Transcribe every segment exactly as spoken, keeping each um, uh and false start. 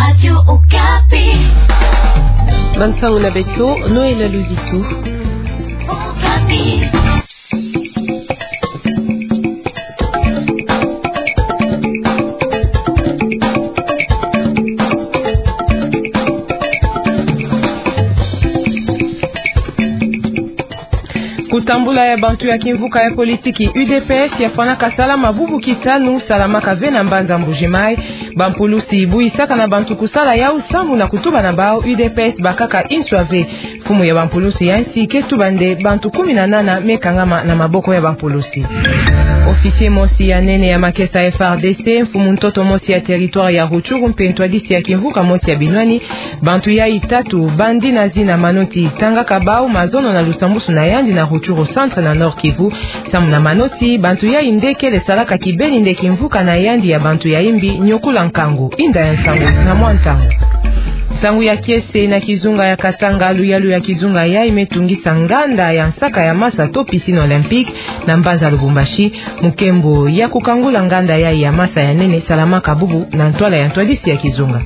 Radio Okapi. Bansangu na beto, Noël Luzitu. Okapi. Kutambula ya bantu ya kimvuka ya politiki U D P S yafwanaka salama bubu kitanu, salamaka ve na mbanza Mbuji-Mayi. Bampulusi buyisaka na bantu kusala yau sambu na kutuba na bau U D P S bakaka inswa ve. Mfumu ya bampulusi ya nsi ke tuba nde bantu kumi na nana me kangama na maboko ya bampulusi. Officier mosi ya nene ya makesa F R D C, mfumu ntoto mosi ya territoire ya Rutshuru mpe ntwadisi ya kimvuka mosi ya binwani, bantu yai tatu bandi na zina Manoti, tangaka bau mazono na lusambusu na yandi na Rutshuru Centre na Nord-Kivu. Sambu na Manoti, bantu yai nde kele salaka kibeni nde kimvuka na yandi ya bantu ya imbi, Nyokula Nkangu. Inda ya nsangu na mwa ntangu. Nsangu ya kiese na kizunga ya Katanga, luyalu ya kizunga yai me tungisa nganda ya nsaka ya masa to piscine olympique na mbanza Lubumbashi, mukembo ya kukangula nganda yai ya masa ya nene salamaka bubu na ntwala ya ntwadisi ya kizunga.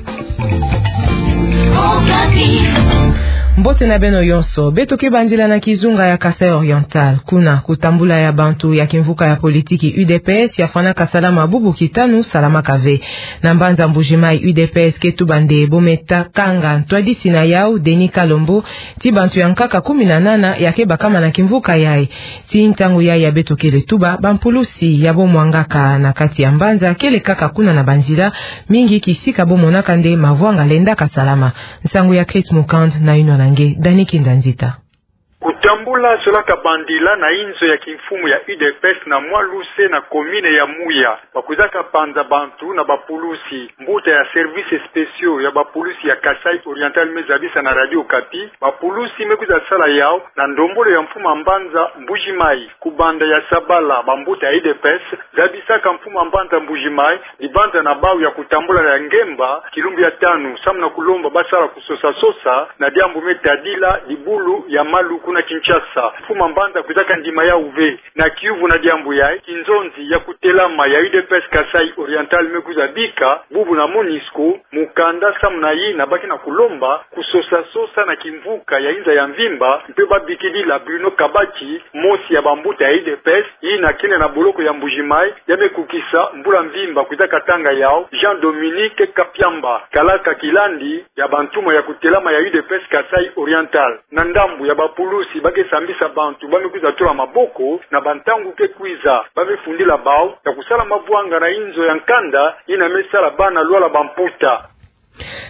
Mbote na beno yonso, beto ke bandila na kizunga ya Kasaï Oriental. Kuna, kutambula ya bantu ya kimvuka ya politiki U D P S yafwanaka salama bubu kitanu, salamaka ve. Na mbanza Mbuji-Mayi, U D P S ke tuba nde bo me ta kanga ntwadisi na yau, Denis Kalombo, ti bantu ya nkaka kumi na nana ya ke bakama na kimvuka yai. Ti ntangu yai ya beto kele tuba, bampulusi ya bo mwangaka na kati ya mbanza kele kaka kuna na banzila, mingi kisika bo monaka nde mavwanga lendaka salama. Nsangu ya Chris Mukand na yinwa na nge, Dani Kinda Nzita. Kutambula zolaka bandila na inzo ya kimfumu ya U D P S na mwa luse na commune ya Muya. Bakwizaka panza bantu na bapulusi. Mbuta ya services spéciaux ya bapulusi ya Kasaï Oriental me zabisa na Radio Okapi, bapulusi me kwiza sala yau na ndombolo ya mfumu a mbanza Mbuji-Mayi. Kubanda ya sabala, bambuta ya U D P S zabisaka mfumu a mbanza Mbuji-Mayi dibanza na bau ya kutambula ya ngemba kilumbu ya tanu, sambu na kulomba basala kusosa-sosa na diambu me tadila dibulu ya malu kuna Kinshasa. Mfumu a mbanza kwizaka ndima yau ve. Na kiuvu na diambu yai, kinzonzi ya kutelama ya U D P S Kasaï Oriental me kwiza bika, bubu na MONUSCO, mukanda sambu na yina ba ke na kulomba kusosa-sosa na kimvuka ya inza ya mvimba, mpe babikidila Bruno Kabati, mosi ya bambuta ya U D P S, yina kele na boloko ya Mbuji-Mayi, ya me kukisa mbula mvimba kwizaka tanga yau, Jean-Dominique Kapiamba, kalaka kilandi ya bantumwa ya kutelama ya U D P S Kasaï Oriental. Na ndambu ya bapulusi ba ke sambisa bantu ba me kwiza tula maboko, na bantangu ke kwiza ba me fundila bau ya kusala mavwanga na inzo ya nkanda yina me sala bana lwala bamputa.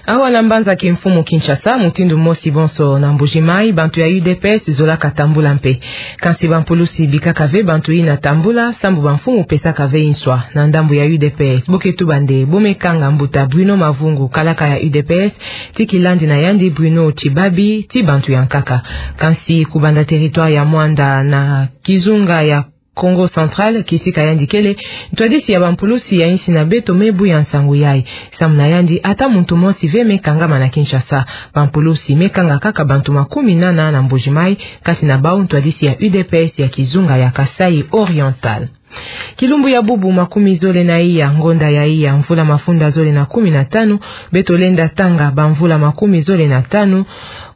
Awa na mbanza kimfumu Kinshasa, mutindu mosi bonso na Mbuji-Mayi, bantu ya U D P S zolaka tambula mpe. Kansi bampulusi bikaka ve bantu yina tambula, sambu bamfumu pesaka ve inswa. Na ndambu ya U D P S, bo ke tuba nde bo me kanga mbuta Bruno Mavungu, kalaka ya U D P S, ti kilandi na yandi Bruno Tshibabi, ti bantu ya nkaka. Kansi kubanda territoire ya Muanda na kizunga ya Kongo Central, kisika yandi kele, ntwadisi ya bampulusi ya insi na beto me buya nsangu yai. Sambu na yandi, ata muntu mosi ve me kangama na Kinshasa. Bampulusi me kanga kaka bantu makumi nana na Mbuji-Mayi, kati na bau ntwadisi ya U D P S ya kizunga ya Kasaï Oriental. Kilumbu ya bubu makumi zole na iya, ngonda ya iya, mvula mafunda zole na kumi na tanu, beto lenda tanga bamvula makumi zole na tanu,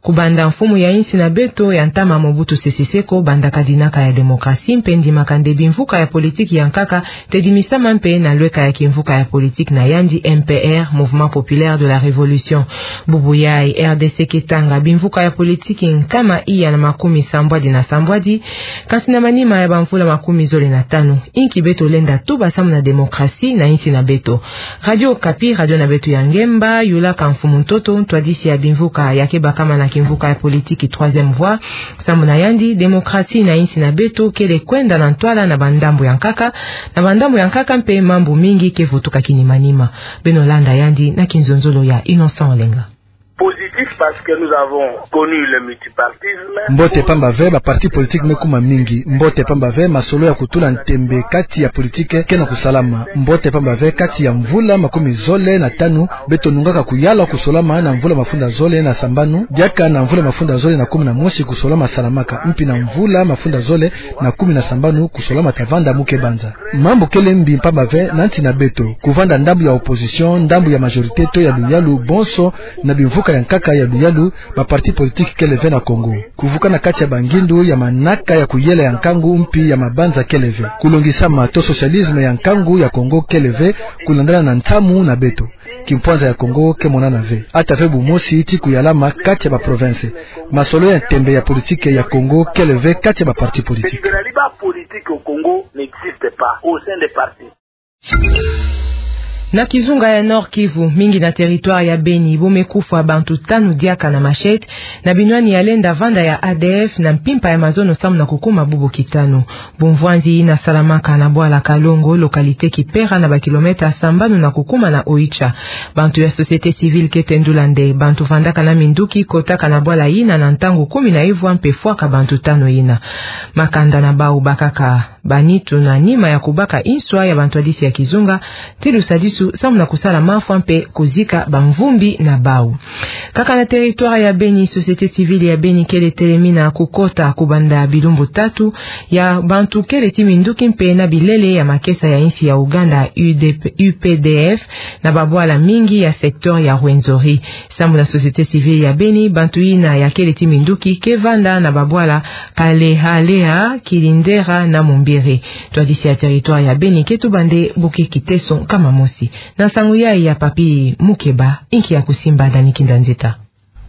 kubanda mfumu ya insi na beto ya ntama Mobutu Sese Seko bandaka dinaka ya démocratie mpe ndimaka nde bimvuka ya politiki ya nkaka tedimisama mpe na lweka ya kimvuka ya politiki na yandi M P R, Mouvement Populaire de la Révolution. Bubu yai R D C ke tanga bimvuka ya politiki nkama iya na makumi sambwadi na sambwadi, kansi na manima ya bamvula makumi zole na tanu, inki beto lenda tuba sambu na démocratie na insi na beto? Radio Okapi, radio na beto ya ngemba, yulaka mfumu ntoto, ntwadisi ya bimvuka ya ke bakama na kimvuka ya politiki Troisième Voie. Sambu na yandi, démocratie na insi na beto kele kwenda na ntwala na bandambu ya nkaka, na bandambu ya nkaka mpe mambu mingi ke vutuka kinimanima. Beno landa yandi na kinzonzolo ya Innocent Olenga. Positif parce que nous avons connu le multipartisme. Mbote pamba ve, ba parti politique me kuma mingi. Mbote pamba ve, masolo ya kutula ntembe kati ya politique ke na kusalama. Mbote pamba ve, kati ya mvula makumi zole na tanu, beto nungaka kuyala kusolama na mvula mafunda zole na sambanu, diaka na mvula mafunda zole na kumi na mosi kusolama salamaka, mpi na mvula mafunda zole na kumi na sambanu kusolama ta vanda muke banza. Mambu kele mbi pamba ve na nsi na beto, kuvanda ndambu ya opposition, ndambu ya majorité to ya luyalu, bonso na bimvuka ya nkaka ya luyalu, ba parti politique kele ve na Congo. Kuvukana kati ya bangindu ya manaka ya kuyela ya nkangu mpi ya mabanza kele ve. Kulongisama to socialisme ya nkangu ya Congo kele ve, kulandana na nsamu na beto. Kimpwanza ya Congo ke monana ve. Ata ve bumosi ti kuyalama kati ya ba province. Masolo ya ntembe ya politique ya Congo kele ve kati ya ba parti politique. Parce que le débat politique au Congo n'existe pas au sein des partis. Na kizunga ya Nord-Kivu, mingi na territoire ya Beni, bo me kufwa bantu tanu diaka na machette, na binwani ya lenda vanda ya A D F, na mpimpa ya mazono samu na kukuma bubu kitanu. Bumvwanzi yina salamaka na bwala Kalongo, localité Kipera, na ba kilomètre sambanu na kukuma na Oicha. Bantu ya société civile ke tendula nde bantu vandaka na minduki kotaka na bwala yina na ntangu kumi na ivwa mpe fwaka bantu tanu yina. Makanda na bau bakaka ba nitu na nima ya kubaka inswa ya bantwadisi ya kizunga, ti lusadisu samu na kusala mafwa mpe kuzika bamvumbi na bau. Kaka na territoire ya Beni, société civile ya Beni kele telemina kukota kubanda bilumbu tatu ya bantu kele ti minduki mpe na bilele ya makesa ya insi ya Uganda, U D P, U P D F, na babwala mingi ya secteur ya Rwenzori. Samu na société civile ya Beni, bantu yina ya kele ti minduki ke vanda na babwala Kalehalea, Kilindera na Mumbere. Ntwadisi ya territoire ya Beni ke tuba nde buke kiteso nkama mosi. Na nsangu yayi ya Papy Mukeba, inki ya kusimba, Dani Kinda Nzita.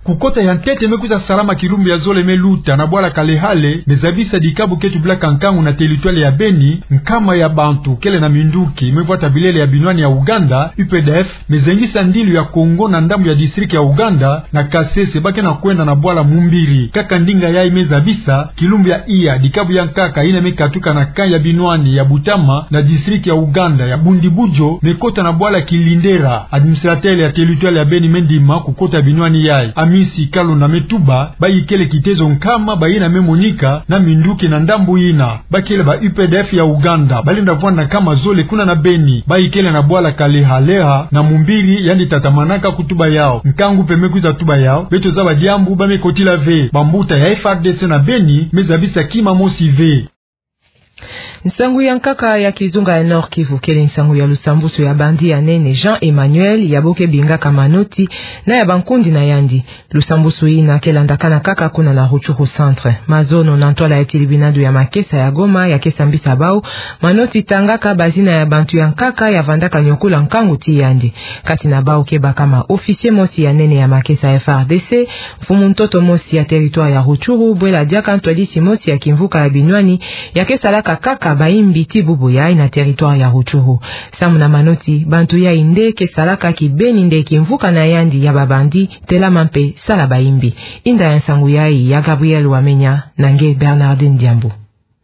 Kukota ya ntete me kwiza salama kilumbu ya zole me luta na bwala Kalehale, me zabisa dikabu ke tubilaka nkangu na territoire ya Beni, nkama ya bantu kele na minduki me vwata bilele ya binwani ya Uganda, U P D F, me zengisa ndilu ya Congo na ndambu ya district ya Uganda, na Kasese, ba ke na kwenda na bwala Mumbiri. Kaka ndinga yayi me zabisa, kilumbu ya iya, dikabu ya nkaka yina me katuka na camp ya binwani ya Butama, na district ya Uganda ya Bundibugyo, me kota na bwala Kilindera. Administrateur ya territoire ya Beni me ndima kukota binwani yayi. Amisi Kalonda me tuba, bayi kele kitezo nkama bayina me monika na minduki na ndambu yina. Ba kele ba U P D F ya Uganda, ba lenda vwanda nkama zole kuna na Beni. Bayi kele na bwala Kalehalea na Mumbiri, yandi tatamanaka kutuba yau. Nkangu mpe me kwiza tuba yau: beto zaba diambu ba me kotila ve. Bambuta ya F R D C na Beni me zabisa kima mosi ve. Nsangu ya nkaka ya kizunga ya Nord-Kivu kele nsangu ya lusambusu ya bandi ya nene Jean Emmanuel, ya bo ke bingaka Manoti, na ya bankundi na yandi. Lusambusu yina ke landakana kaka kuna na Rutshuru Centre. Mazono na ntwala ya tilibinadu ya makesa ya Goma ya ke sambisa bau, Manoti tangaka bazina ya bantu ya nkaka ya vandaka nyokula nkangu ti yandi. Kati na bau ke bakama officier mosi ya nene ya makesa F R D C, mfumu ntoto mosi ya territoire ya Rutshuru, bwela diaka ntwadisi mosi ya kimvuka ya binwani, ya ke salaka kaka bayimbi ti bubu yayi na territoire ya Rutshuru. Samu na Manoti, bantu yayi nde ke salaka kibeni nde kimvuka na yandi ya babandi telama mpe sala bayimbi. Inda ya nsangu yayi ya Gabriel Wamenya, na nge Bernardine Diambu.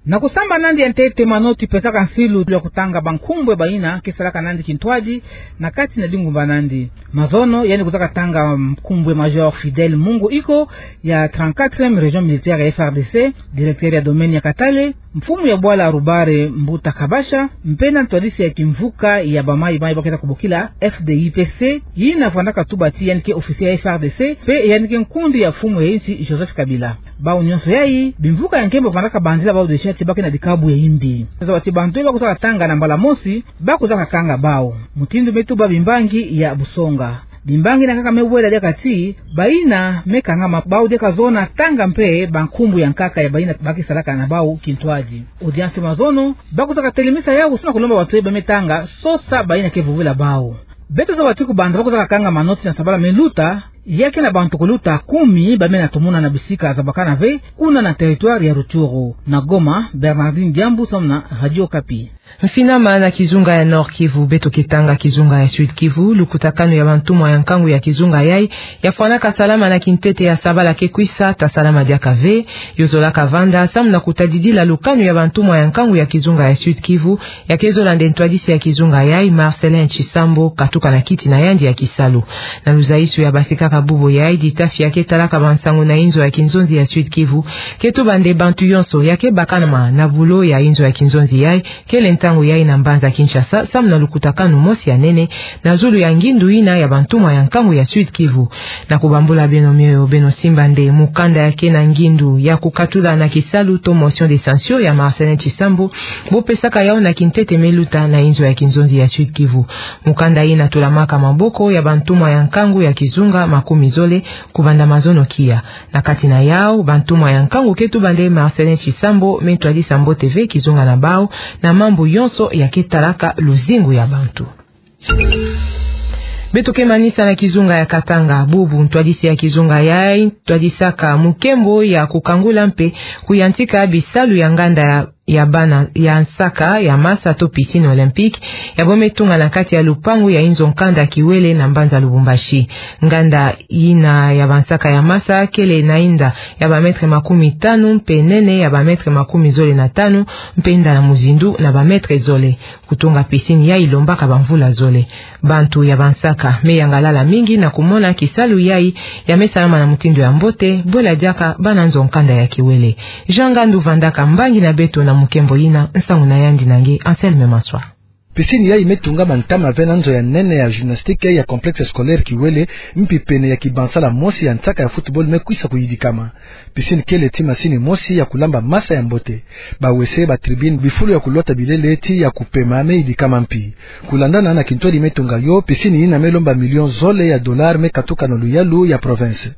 Na kusamba nandi ya ntete, Manoti pesaka nsilu ya kutanga bankumbu ya bayina ke salaka nandi kintwadi na kati na dingumba nandi. Mazono, yandi kwizaka tanga nkumbu ya Major Fidèle Mungu Iko, ya trente-quatrième région militaire ya F R D C, directeur ya domaine ya Katale, mfumu ya bwala Rubare Mbuta Kabasha, mpe na ntwadisi ya kimvuka ya bamayi-mayi ba keta kubokila F D I P C, yina vandaka tuba ti yandi ke officier ya F R D C, mpe yandi ke nkundi ya mfumu ya insi Joseph Kabila. Bau nyonso yayi, bimvuka ya nkembo vandaka banzila bau desha ti ba ke na dikabu ya imbi. Zaba ti bantu ba kwizaka tanga na mbala mosi, ba kwizaka kanga bau. Mutindu me tuba bimbangi ya busonga. Bimbangi na nkaka me wela diaka ti, bayina me kangama bau diaka zona tanga mpe bankumbu ya nkaka ya bayina ba ke salaka na bau kintwadi. Audience mazono, ba kwizaka telemisa yau samu na kulomba bantu ba me tanga sosa bayina ke vovela bau. Beto zaba ti kubanza ba kwizaka kanga Manoti na sabala me luta, ya ke na bantu kuluta kumi ba me na tumuna na bisika zabakana ve, kuna na territoire ya Rutshuru. Na Goma, Bernardine Diambu samu na Radio Okapi. Mfinama na kizunga ya Nord-Kivu, beto ke tanga kizunga ya Sud-Kivu. Lukutakanu ya bantumwa ya nkangu ya kizunga yayi ya fwanaka salama na kintete ya sabala ke kwisa, ta salama diaka ve. Yo zolaka vanda samu na kutadidila lukanu ya bantumwa ya nkangu ya kizunga ya Sud-Kivu, ya ke zola nde ntwadisi ya kizunga yayi, Marcellin Tshisambo, katuka na kiti na yandi ya kisalu. Na luzaisu ya basika Bubu yai, ditafi ya ke talaka bansangu na inzo ya kinzonzi ya Sud-Kivu ke tuba nde bantu yonso ya ke bakana ma na bulo ya inzo ya kinzonzi yai, kele ntangu yai na mbanza Kinshasa, samu na lukutakanu mosi ya nene na zulu ya ngindu yina ya bantumwa ya nkangu ya Sud-Kivu. Na kubambula beno mioyo, beno simba nde mukanda ya ke na ngindu ya kukatula na kisalu to motion de censure ya Marcellin Tshisambu, bo pesaka yau na kintete me luta na inzo ya kinzonzi ya Sud-Kivu. Mukanda yina tulamaka maboko ya bantumwa ya nkangu ya kizunga makumi zole kubanda mazono kia. Na kati na yau, bantumwa ya nkangu ke tuba nde Marcellin Tshisambu me ntwadisa mbote ve kizunga na bau na mambu yonso ya ke talaka luzingu ya bantu. Beto ke manisa na kizunga ya Katanga. Bubu ntwadisi ya kizunga yai ntwadisaka mukembo ya kukangula mpe kuyantika bisalu ya nganda ya, ya bana ya nsaka ya masa to piscine olympique, ya bo me tunga na kati ya lupangu ya inzo nkanda Kiwele na mbanza Lubumbashi. Nganda yina ya bansaka ya masa kele na inda ya ba mètre makumi tanu mpe nene ya ba mètre makumi zole na tanu, mpe inda na muzindu na ba mètre zole. Kutunga piscine yai lombaka bamvula zole. Bantu ya bansaka me yangalala mingi na kumona kisalu yai ya me salama na mutindu ya mbote, bwela diaka bana nzo nkanda ya Kiwele. Jean Ngandu vandaka mbangi na beto na mukembo yina, nsangu na yandi na nge Anselme Maswa. Piscine yai me tungama ntama ve na nzo ya nene ya gymnastique ya complexe scolaire Kiwele, mpi pene ya kibansala mosi ya nsaka ya football me kwisa kuyidikama. Piscine kele ti masini mosi ya kulamba masa ya mbote. Bawese, ba tribune, bifulu ya kulwata bilele ti ya kupema me yidikama mpi. Kulandana na kintwadi me tunga yo, piscine yina me lomba million zole ya dollar me katuka na luyalu ya province.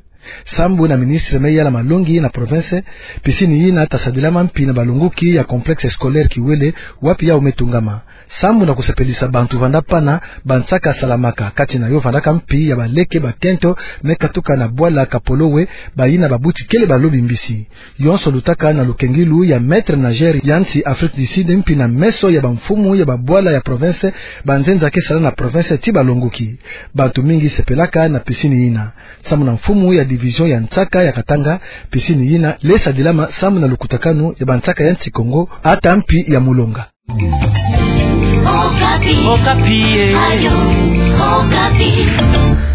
Sambu na ministre me yala malongi na province, piscine yina ta sadilama mpi na balonguki ya complexe scolaire Kiwele, wapi yau me tungama. Sambu na kusepelisa bantu vanda pana, bansaka salamaka, kati na yo vandaka mpi ya baleke bakento me katuka na bwala Kapolowe, bayina babuti kele balobi mbisi. Yonso lutaka na lukengilu ya maître nageur ya nsi Afrique du Sud, mpi na meso ya bamfumu ya babwala ya province, banzenza ke sala na province ti balonguki. Bantu mingi sepelaka na piscine yina. Sambu na mfumu ya division ya nsaka ya Katanga, piscine yina le sadilama sambu na lukutakanu ya bansaka ya nsi Kongo, ata mpi ya mulonga. Okapi. Okapi, eh. Ayo, Okapi.